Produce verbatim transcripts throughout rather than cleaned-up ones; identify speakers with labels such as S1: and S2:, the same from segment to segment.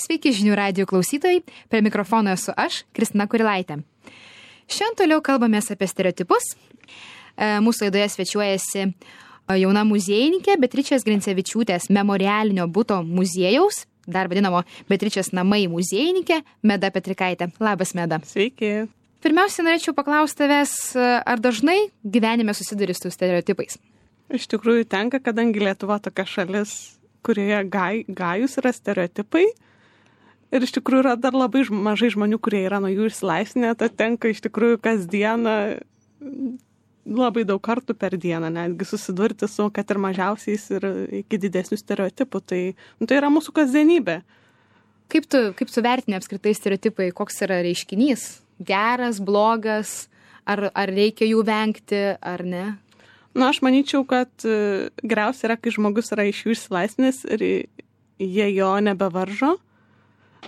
S1: Sveiki žinių radijo klausytojai, prie mikrofono esu aš, Kristina Kurilaitė. Šiandien toliau kalbamės apie stereotipus. Mūsų laidoje svečiuojasi jauna muziejininkė Beatričės Grincevičiūtės memorialinio buto muziejaus, dar vadinamo Beatričės namai muziejininkė, Meda Petrikaitė. Labas, Meda.
S2: Sveiki.
S1: Pirmiausia, norėčiau paklausti tavęs, ar dažnai gyvenime susiduri su stereotipais?
S2: Iš tikrųjų tenka, kadangi Lietuva tokia šalis, kurioje gai, gajus yra stereotipai. Ir iš tikrųjų yra dar labai mažai žmonių, kurie yra nuo jų išsilaisvinę, tad tenka iš tikrųjų kasdieną, labai daug kartų per dieną, netgi susidurti su, kad ir mažiausiais ir iki didesnių stereotipų. Tai, nu, tai yra mūsų kasdienybė.
S1: Kaip tu, kaip tu vertini apskritai stereotipai, koks yra reiškinys? Geras, blogas, ar, ar reikia jų vengti, ar ne?
S2: Na, aš manyčiau, kad geriausia yra, kai žmogus yra iš jų išsilaisvinęs ir jie jo nebevaržo.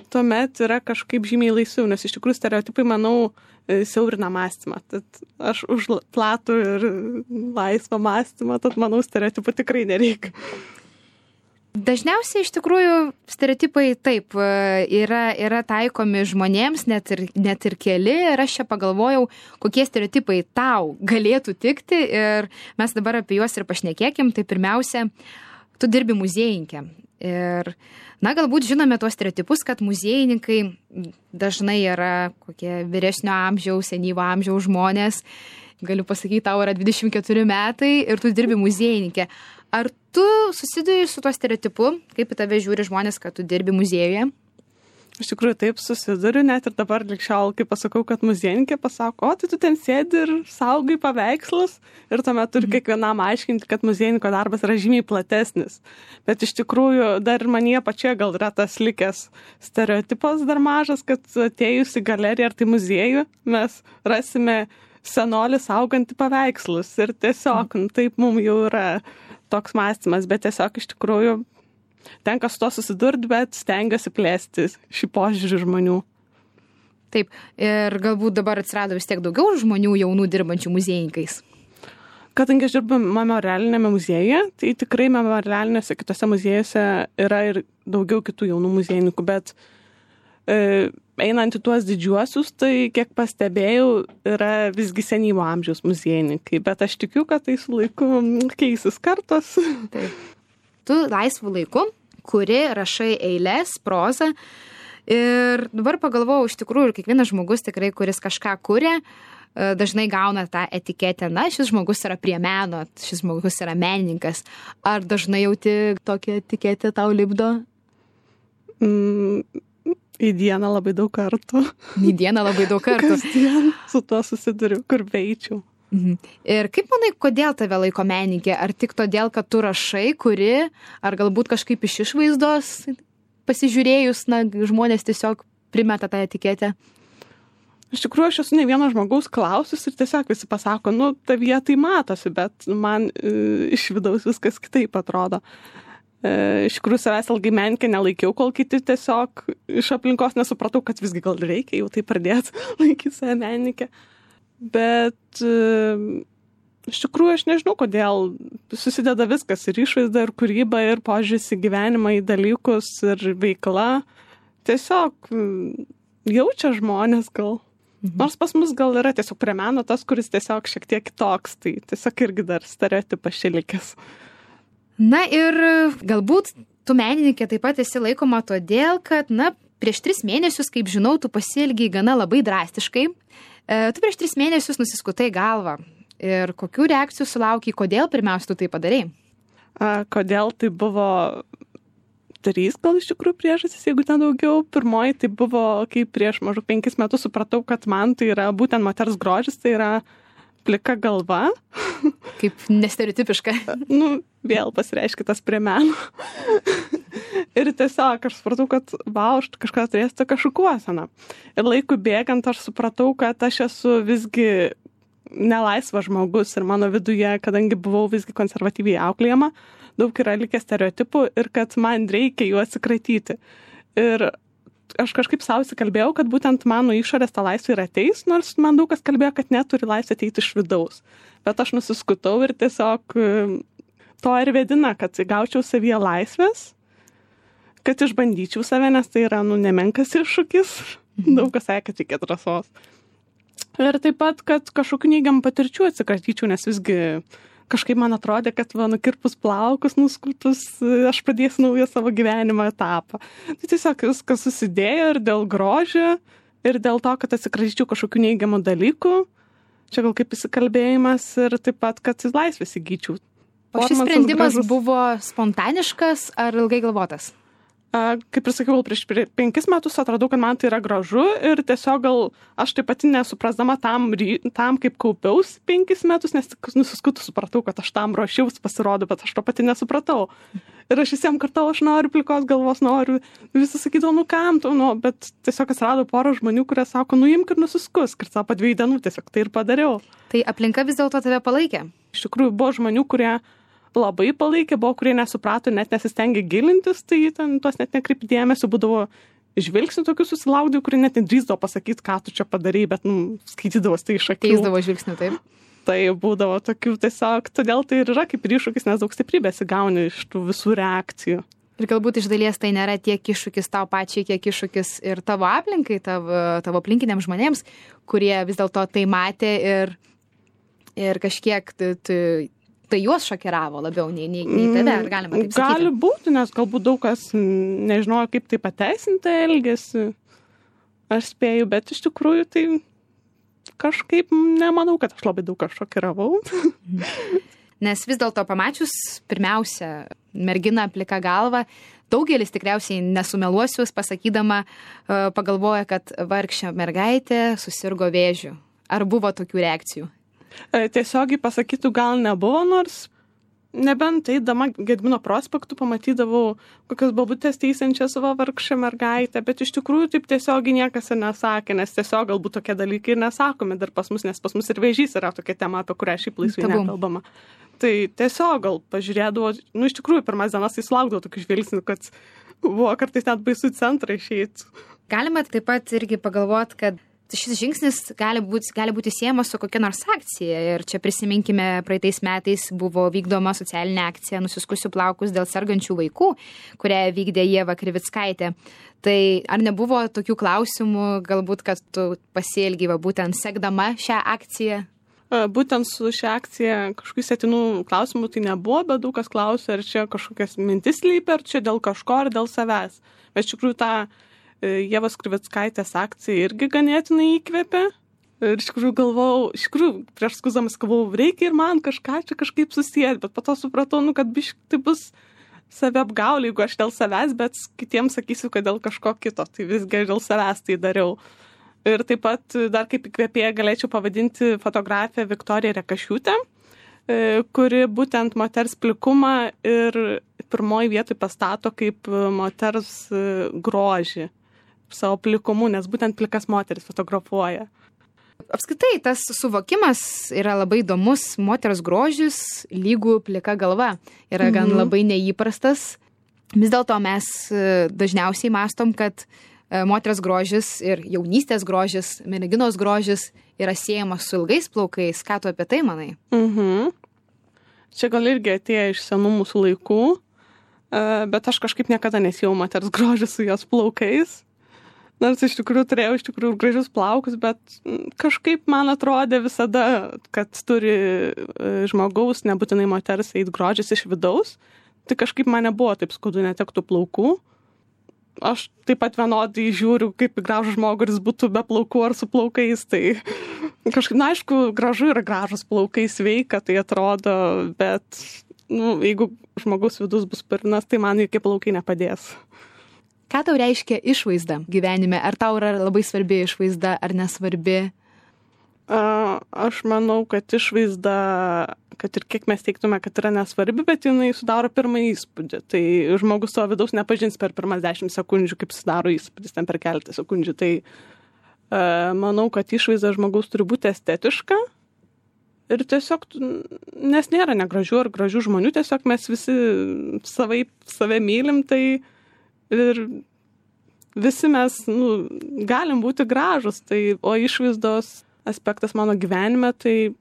S2: Tuomet yra kažkaip žymiai laisviau, nes iš tikrųjų stereotipai, manau, siaurina mąstymą. Tad aš už platų ir laisvą mąstymą, tad manau, stereotipų tikrai nereikia.
S1: Dažniausiai iš tikrųjų stereotipai taip yra, yra taikomi žmonėms, net ir, net ir keli. Ir aš čia pagalvojau, kokie stereotipai tau galėtų tikti. Ir mes dabar apie juos ir pašnekėkim. Tai pirmiausia, tu dirbi muziejininkė. Ir, na, galbūt žinome tuos stereotipus, kad muziejininkai dažnai yra kokie vyresnio amžiaus, senyvo amžiaus žmonės. Galiu pasakyti, tau yra dvidešimt keturi metai ir tu dirbi muziejininkė. Ar tu susiduri su tuo stereotipu, kaip į tave žiūri žmonės, kad tu dirbi muziejuje?
S2: Iš tikrųjų taip susiduriu, net ir dabar likščiau, kai pasakau, kad muziejininkė pasako, o tai tu ten sėdi ir saugai paveikslus ir tuomet turi kiekvienam aiškinti, kad muziejininko darbas yra žymiai platesnis. Bet iš tikrųjų dar manyje pačioje gal yra tas likęs stereotipas dar mažas, kad atėjus į galeriją ar tai muziejų mes rasime senolį saugantį paveikslus ir tiesiog nu, taip mums jau yra toks mąstymas, bet tiesiog iš tikrųjų tenka su to susidurti, bet stengiuosi plėsti šį požiūrį žmonių.
S1: Taip, ir galbūt dabar atsirado vis tiek daugiau žmonių jaunų dirbančių muziejininkais.
S2: Kadangi aš dirbu memorialinėme muziejuje, tai tikrai memorialinėse kitose muziejuose yra ir daugiau kitų jaunų muziejininkų, bet e, einant į tuos didžiuosius, tai kiek pastebėjau, yra visgi senyvo amžiaus muziejininkai, bet aš tikiu, kad tai su laiku keisis kartos.
S1: Taip. Tu laisvų laiku, kuri rašai eiles, prozą ir dabar pagalvojau, iš tikrųjų, kiekvienas žmogus tikrai, kuris kažką kuria, dažnai gauna tą etiketę, na, šis žmogus yra prie meno, šis žmogus yra menininkas. Ar dažnai jauti tokią etiketę tau lipdo?
S2: Mm, į dieną labai daug kartų.
S1: Į dieną labai daug kartų.
S2: Kasdien su tuo susiduriu, kur beičiau.
S1: Mhm. Ir kaip manai, kodėl tave laiko menininkė? Ar tik todėl, kad tu rašai, kuri, ar galbūt kažkaip iš išvaizdos pasižiūrėjus, na, žmonės tiesiog primeta tą etiketę?
S2: Iš tikrųjų, aš esu ne vieno žmogaus klausus ir tiesiog visi pasako, nu, tavyje tai matosi, bet man e, iš vidaus viskas kitaip atrodo. E, iš tikrųjų, savęs ilgai menininkė nelaikiau, kol kiti tiesiog iš aplinkos nesupratau, kad visgi gal reikia jau tai pradėti laikyti save menininkė. Bet iš tikrųjų aš nežinau, kodėl susideda viskas ir išvaizda, ir kūryba, ir požiūris į gyvenimą, į dalykus, ir veikla. Tiesiog jaučia žmonės gal. Mhm. Nors pas mus gal yra tiesiog prie meno tas, kuris tiesiog šiek tiek kitoks, tai tiesiog irgi dar stereotipas čia likęs.
S1: Na ir galbūt tu menininkė taip pat esi laikoma todėl, kad, na, prieš tris mėnesius, kaip žinau, tu pasielgiai gana labai drastiškai. Tu prieš tris mėnesius nusiskutai galvą. Ir kokių reakcijų sulaukiai, kodėl pirmiausia tu tai padarei?
S2: A, kodėl tai buvo trys gal iš tikrųjų priežastys, jeigu ten daugiau. Pirmoji tai buvo, kai prieš maždaug penkis metus supratau, kad man tai yra būtent moters grožis, tai yra plika galva.
S1: Kaip nestereotipiška.
S2: Nu, vėl pasireiškia tas prie meno. Ir tiesiog aš supratau, kad vau, aš kažką turėsiu tokią šukuoseną. Ir laikui bėgant aš supratau, kad aš esu visgi nelaisvas žmogus ir mano viduje, kadangi buvau visgi konservatyviai auklėjama, daug yra likę stereotipų ir kad man reikia jų atsikratyti. Ir aš kažkaip savo įsikalbėjau, kad būtent mano išorės ta laisvė ir ateis, nors man daug kas kalbėjo, kad neturi laisvė ateiti iš vidaus. Bet aš nusiskutau ir tiesiog to ir vedina, kad gaučiau savyje laisvės, kad išbandyčiau save, nes tai yra, nu, nemenkas iššūkis. Daug kas sakė, kad reikia drąsos. Ir taip pat, kad kažkokių neigiamų patirčių atsikratyčiau, nes visgi kažkaip man atrodė, kad va, nukirpus plaukus, nuskutus, aš pradėsiu naują savo gyvenimo etapą. Tai tiesiog viskas susidėjo ir dėl grožio, ir dėl to, kad atsikratyčiau kažkokių neigiamų dalykų. Čia gal kaip įsikalbėjimas ir taip pat, kad laisvės įgyčiau.
S1: O šis sprendimas buvo spontaniškas ar ilgai galvotas?
S2: Kaip ir sakiau, prieš penkis metus atradau, kad man tai yra gražu ir tiesiog gal aš taip pati nesuprasdama tam, tam kaip kaupiaus penkis metus, nes tik nusiskutų supratau, kad aš tam ruošiaus pasirodo, bet aš to pati nesupratau. Ir aš visiems kartau, aš noriu plikos galvos, noriu, visi sakydavo, nu kam tu, nu, bet tiesiog atsirado porą žmonių, kurie sako, nu imk ir nusiskusk, ir savo po dviejų dienų tiesiog tai ir padariau.
S1: Tai aplinka vis dėlto tave palaikė?
S2: Iš tikrųjų, buvo žmonių, kurie labai palaikė, buvo, kurie nesuprato, net nesistengė gilintis, tai ten tuos net nekreipti dėmesio, būdavo žvilgsnių tokių susilaukdavau, kurie net nedrįsdavo pasakyti, ką tu čia padarai, bet, nu, skaitydavos tai iš akių.
S1: Keisdavo žvilgsnių, taip?
S2: Tai būdavo tokių tiesiog, todėl tai ir yra kaip ir iššūkis, nes daug stiprybės įgauni iš tų visų reakcijų.
S1: Ir galbūt iš dalies tai nėra tiek iššūkis tau pačiai, kiek iššūkis ir tavo aplinkai, tavo, tavo aplinkiniams žmonėms, kurie vis dėlto tai matė ir, ir kažkiek tu, tu, tai juos šokiravo labiau nei, nei, nei tave, ar galima taip sakyti?
S2: Gali būti, nes galbūt daug kas nežinojo, kaip tai pateisinti elgesį, aš spėju, bet iš tikrųjų tai kažkaip nemanau, kad aš labai daug ką šokiravau.
S1: Nes vis dėlto pamačius pirmiausia merginą plika galva, daugelis tikriausiai nesumeluosius pasakydama, pagalvoja, kad vargšė mergaitė susirgo vėžiu. Ar buvo tokių reakcijų?
S2: Tiesiogiai pasakytų gal nebuvo, nors nebent eidama Gedimino prospektu pamatydavau kokias babutės teisiančias savo vargšę mergaitę, bet iš tikrųjų taip tiesiogiai niekas ir nesakė, nes tiesiog galbūt tokie dalykai ir nesakomi dar pas mus, nes pas mus ir vėžys yra tokia tema, apie kurią šiaip laisvai nekalbama. Tai tiesiog gal pažiūrėdavo, nu iš tikrųjų pirmas dienas tai sulaukdavo tokių žvilgsnių, kad buvo kartais net baisu į centrą išeiti.
S1: Galima taip pat irgi pagalvoti, kad šis žingsnis gali būti, gali būti siejamas su kokia nors akcija. Ir čia prisiminkime, praeitais metais buvo vykdoma socialinė akcija Nusiskusiu plaukus dėl sergančių vaikų, kurią vykdė Ieva Krivickaitė. Tai ar nebuvo tokių klausimų, galbūt, kad tu pasielgi va, būtent sekdama šią akciją?
S2: Būtent su šią akciją kažkokių setinų klausimų tai nebuvo, bet daug kas klausė, ar čia kažkokias mintis lypia, ar čia dėl kažko, ar dėl savęs. Bet iš tikrųjų tą Ievos Krivickaitės akcija irgi ganėtinai įkvėpė. Ir iš tikrųjų galvojau, iš tikrųjų prieš skuzamas galvojau, reikia ir man kažką čia kažkaip susijęti, bet po to supratau, nu, kad bišk, tai bus saviapgaulė, jeigu aš dėl savęs, bet kitiems sakysiu, kad dėl kažko kito, tai visgi dėl savęs tai dariau. Ir taip pat dar kaip įkvėpėją galėčiau pavadinti fotografiją Viktoriją Rekašiūtę, kuri būtent moters plikumą ir pirmoji vietoj pastato kaip moters grožį savo plikumu, nes būtent plikas moteris fotografuoja.
S1: Apskritai, tas suvokimas yra labai įdomus, moters grožis lygų plika galva yra gan mhm. labai neįprastas. Vis dėlto mes dažniausiai mastom, kad moters grožis ir jaunystės grožis, merginos grožis yra siejamas su ilgais plaukais. Ką tu apie tai manai?
S2: Mhm. Čia gal irgi atėjo iš senų mūsų laikų, bet aš kažkaip niekada nesijau moters grožį su jos plaukais. Nors iš tikrųjų turėjau iš tikrųjų gražius plaukus, bet kažkaip man atrodė visada, kad turi žmogaus, nebūtinai moters, eit grožis iš vidaus. Tai kažkaip man nebuvo taip skaudu netektų plaukų. Aš taip pat vienodai žiūriu, kaip į gražų žmogų, kuris būtų be plaukų ar su plaukais. Tai kažkaip, na aišku, gražu yra gražus plaukai, sveika, tai atrodo, bet nu, jeigu žmogaus vidus bus purinas, tai man jokie plaukai nepadės.
S1: Ką tau reiškia išvaizda gyvenime? Ar tau yra labai svarbi išvaizda, ar nesvarbi?
S2: Aš manau, kad išvaizda, kad ir kiek mes teiktume, kad yra nesvarbi, bet jinai sudaro pirmąjį įspūdį. Tai žmogus savo vidaus nepažins per pirmas dešimt sekundžių, kaip sudaro įspūdis ten per keletą sekundžių. Tai manau, kad išvaizda žmogaus turi būti estetiška. Ir tiesiog, nes nėra negražių ar gražių žmonių, tiesiog mes visi savai, save mylim, tai ir visi mes nu, galim būti gražus, tai, o išvaizdos aspektas mano gyvenime, tai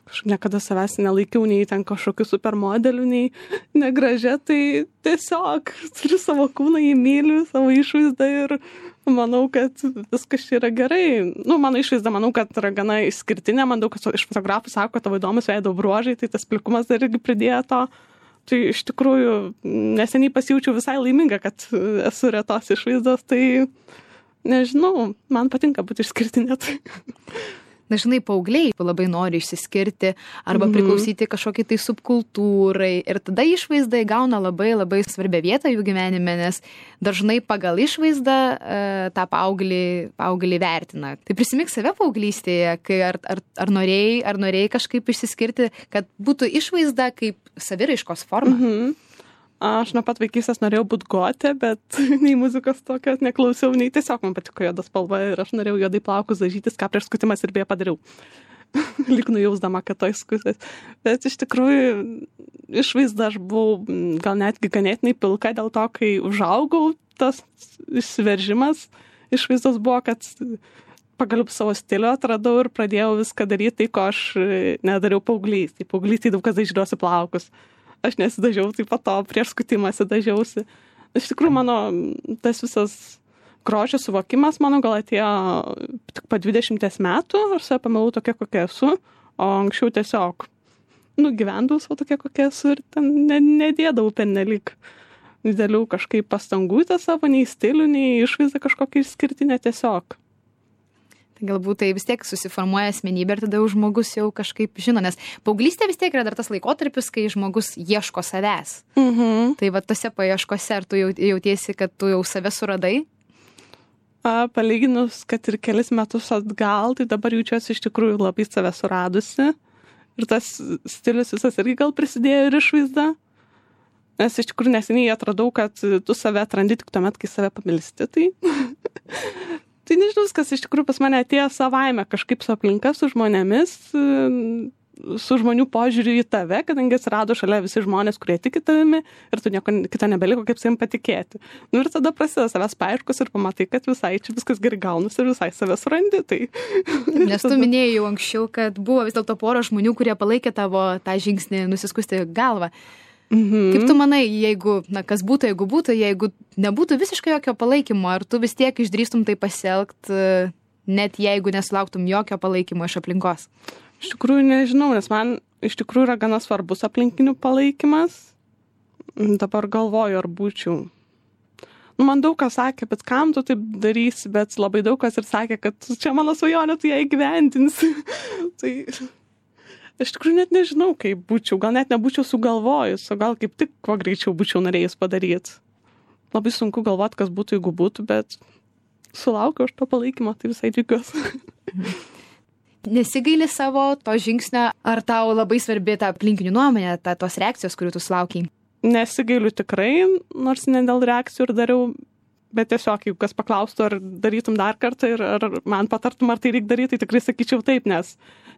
S2: aš niekada savęs nelaikiau nei ten kažkokiu supermodeliu, nei negražia, tai tiesiog turiu savo kūną, jį myliu, savo išvaizdą ir manau, kad viskas čia yra gerai. Nu, mano išvaizda, manau, kad yra gana išskirtinė, man daug kas iš fotografų sako, kad tavo įdomus veido bruožai, tai tas plikumas dar irgi pridėjo to. Tai iš tikrųjų neseniai pasijaučiau visai laiminga, kad esu retos išvaizdos, tai nežinau, man patinka būti išskirtinė. Tai.
S1: Dažnai paaugliai labai nori išsiskirti arba mm-hmm. priklausyti kažkokiai tai subkultūrai ir tada išvaizda įgauna labai labai svarbią vietą jų gyvenime, nes dažnai pagal išvaizdą e, tą paauglį, paauglį vertina. Tai prisimink save paauglystėje, kai ar, ar, ar, norėjai, ar norėjai kažkaip išsiskirti, kad būtų išvaizda kaip saviraiškos forma.
S2: Mm-hmm. Aš nuo pat vaikystės norėjau būti gotė, bet nei muzikos tokios neklausiau, nei tiesiog man patiko juoda spalva ir aš norėjau juodai plaukus dažytis, ką prieš skutimas ir beje padariau. Lyg nujausdama, kad to įskutas. Bet iš tikrųjų išvaizda aš buvau gal netgi ganėtinai pilka dėl to, kai užaugau, tas išsiveržimas išvaizdos buvo, kad pagaliau savo stilių atradau ir pradėjau viską daryti tai, ko aš nedariau paauglys. Tai paauglys tai daug kas dažydavosi plaukus. Aš nesidažiau, tai po to prieš skutimąsi dažiausi. Iš tikrųjų, mano tas visas grožio suvokimas, mano gal atėjo tik po dvidešimties metų, aš save pamilau tokia, kokia esu, o anksčiau tiesiog, nu, gyvendavau savo tokia, kokia esu ir ten ne, nedėdavau pernelyg didelių kažkaip pastangų tą savo, nei stilių, nei išvaizdą kažkokią išskirtinę tiesiog.
S1: Tai galbūt tai vis tiek susiformuoja asmenybė ir tada jau žmogus jau kažkaip žino, nes paauglystė vis tiek yra dar tas laikotarpis, kai žmogus ieško savęs.
S2: Mhm.
S1: Tai va tose paieškose, ar tu jau, jautiesi, kad tu jau save suradai?
S2: A, palyginus, kad ir kelis metus atgal, tai dabar jaučiuosi iš tikrųjų labai save suradusi. Ir tas stilius visas irgi gal prisidėjo ir išvaizda. Nes iš tikrųjų neseniai atradau, kad tu save atrandi tik tuomet, kai save pamilsti. Tai... Tai nežinau, kas iš tikrųjų pas mane atėjo savaime kažkaip su aplinka, su žmonėmis, su žmonių požiūriu į tave, kadangi atsirado šalia visi žmonės, kurie tiki tavimi ir tu nieko kito nebeliko, kaip savim patikėti. Nu ir tada prasideda savęs paieškos ir pamatai, kad visai čia viskas gerai gaunasi ir visai savęs surandi. Tai...
S1: Nes tu minėjai jau anksčiau, kad buvo vis dėlto pora žmonių, kurie palaikė tavo tą žingsnį nusiskusti galvą.
S2: Mhm.
S1: Kaip tu manai, jeigu, na, kas būtų, jeigu būtų, jeigu nebūtų visiškai jokio palaikymo, ar tu vis tiek išdrįstum tai pasielgt, net jeigu nesulauktum jokio palaikymo iš aplinkos?
S2: Iš tikrųjų nežinau, nes man iš tikrųjų yra gana svarbus aplinkinių palaikymas. Dabar galvoju, ar būčiau. Nu, man daug kas sakė, bet kam tu taip darysi, bet labai daug kas ir sakė, kad čia mano svajonė, tu ją įgyvendinsi. Tai... Aš tikrųjų net nežinau, kaip būčiau, gal net nebūčiau sugalvojus, o gal kaip tik kuo greičiau būčiau norėjus padaryti. Labai sunku galvoti, kas būtų, jeigu būtų, bet sulaukiau aš to palaikymo, tai visai džiugiuosi.
S1: Nesigaili savo to žingsnio, ar tau labai svarbi ta aplinkinių nuomonė, ta, tos reakcijos, kurių tu sulaukiai?
S2: Nesigailiu tikrai, nors ne dėl reakcijų ir dariau, bet tiesiog, jeigu kas paklaustų, ar darytum dar kartą ir ar man patartum, ar tai reikia daryti, tai tikrai sakyčiau taip, nes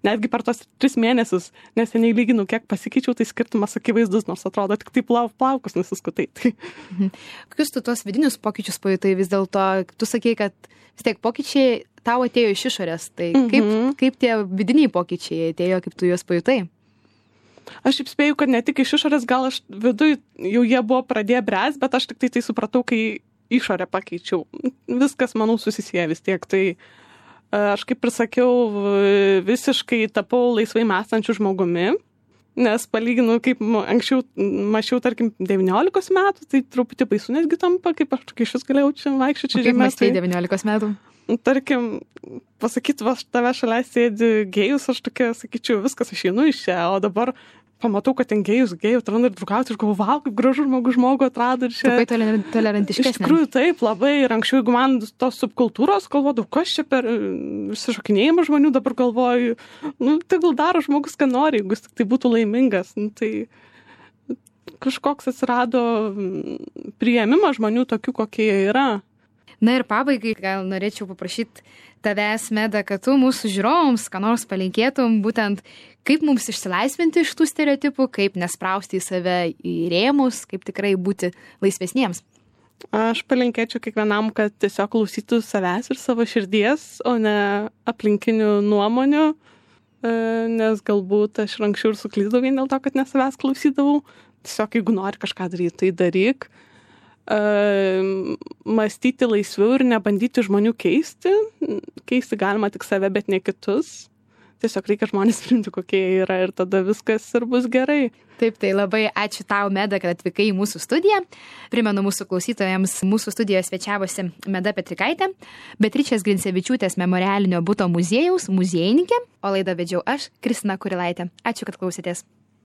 S2: netgi per tos tris mėnesius neseniai lyginu, kiek pasikeičiau, tai skirtumas akivaizdus, nors atrodo tik taip lau, plaukus nusiskutai. Tai.
S1: Mhm. Kokius tu tuos vidinius pokyčius pajutai vis dėlto? Tu sakei, kad vis tiek pokyčiai tau atėjo iš išorės, tai mhm. kaip, kaip tie vidiniai pokyčiai atėjo, kaip tu juos pajutai?
S2: Aš šiaip spėju, kad ne tik iš išorės, gal aš viduj jau jie buvo pradėję bręs, bet aš tik tai tai supratau, kai išorę pakeičiau. Viskas, manau, susisieja vis tiek. Tai aš kaip ir sakiau, visiškai tapau laisvai mąstančių žmogumi, nes palyginu, kaip anksčiau mačiau, tarkim, devyniolikos metų, tai truputį baisu netgi tampa, kaip aš tokia išvis galėjau čia vaikščioti čia žemė.
S1: Kaip mąstai devyniolikos metų?
S2: Tarkim, pasakyti, va, tave šalia sėdi gėjus, aš tokia, sakyčiau, viskas, aš einu iš čia, o dabar pamatau, kad ten gėjus, gėjų atranda ir draugauti, aš galvoju, vau, kaip gražu žmogus žmogų atrado ir čia.
S1: Labai tolerantiškesnė.
S2: Iš tikrųjų, taip, labai. Ir anksčiau, jeigu man tos subkultūros galvodavau, kas čia per išsišokinėjimą žmonių, dabar galvoju, nu, tegul daro žmogus, ką nori, jeigu jis tik tai būtų laimingas. Nu, tai kažkoks atsirado priėmimas žmonių tokių, kokie jie yra.
S1: Na ir pabaigai, gal norėčiau paprašyti tavęs, Meda, kad tu mūsų žiūrovams, ką nors palinkėtum, būtent kaip mums išsilaisvinti iš tų stereotipų, kaip nesprausti į save į rėmus, kaip tikrai būti laisvesniems.
S2: Aš palinkėčiau kiekvienam, kad tiesiog klausytų savęs ir savo širdies, o ne aplinkinių nuomonių. nes galbūt aš ir anksčiau ir suklydau vien dėl to, kad ne savęs klausydavau. Tiesiog, jeigu nori kažką daryti, tai daryk. Mąstyti laisviau ir nebandyti žmonių keisti. Keisti galima tik save, bet ne kitus. Tiesiog reikia žmonės priimti, kokie jie yra ir tada viskas ir bus gerai.
S1: Taip, tai labai ačiū tau, Meda, kad atvykai į mūsų studiją. Primenu mūsų klausytojams, mūsų studijoje svečiavosi Meda Petrikaitė, Beatričės Grincevičiūtės memorialinio buto muziejaus muziejininkė, o laidą vedžiau aš, Kristina Kurilaitė. Ačiū, kad klausėtės.